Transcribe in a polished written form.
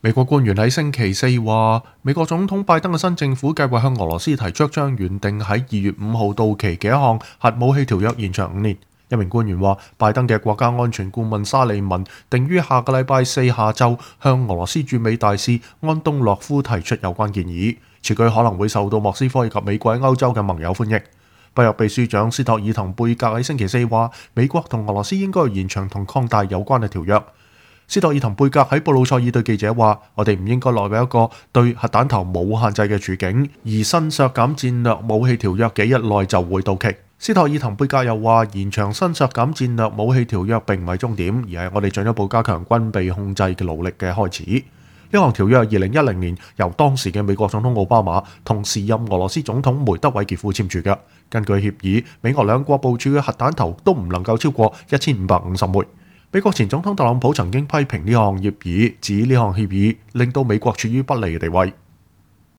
美國官員喺星期四話，美國總統拜登嘅新政府計劃向俄羅斯提出將原定喺2月5號到期嘅一項核武器條約延長5年。一名官員話，拜登嘅國家安全顧問沙利文定於下個禮拜四下晝向俄羅斯駐美大使安東諾夫提出有關建議，此舉可能會受到莫斯科以及美國喺歐洲嘅盟友歡迎。北約秘書長斯托爾滕貝格喺星期四話，美國同俄羅斯應該延長同擴大有關嘅條約。斯托爾滕貝格喺布魯塞爾對記者話：我哋唔應該落入一個對核彈頭冇限制嘅處境，而新削減戰略武器條約幾日內就會到期。斯托爾滕貝格又話：延長新削減戰略武器條約並唔係終點，而係我哋進一步加強軍備控制嘅努力嘅開始。呢項條約2010年由當時嘅美國總統奧巴馬同時任俄羅斯總統梅德韋傑夫簽署嘅。根據協議，美俄兩國部署嘅核彈頭都唔能夠超過1550枚。美國前總統特朗普曾經批評呢項協議，指呢項協議令到美國處於不利嘅地位。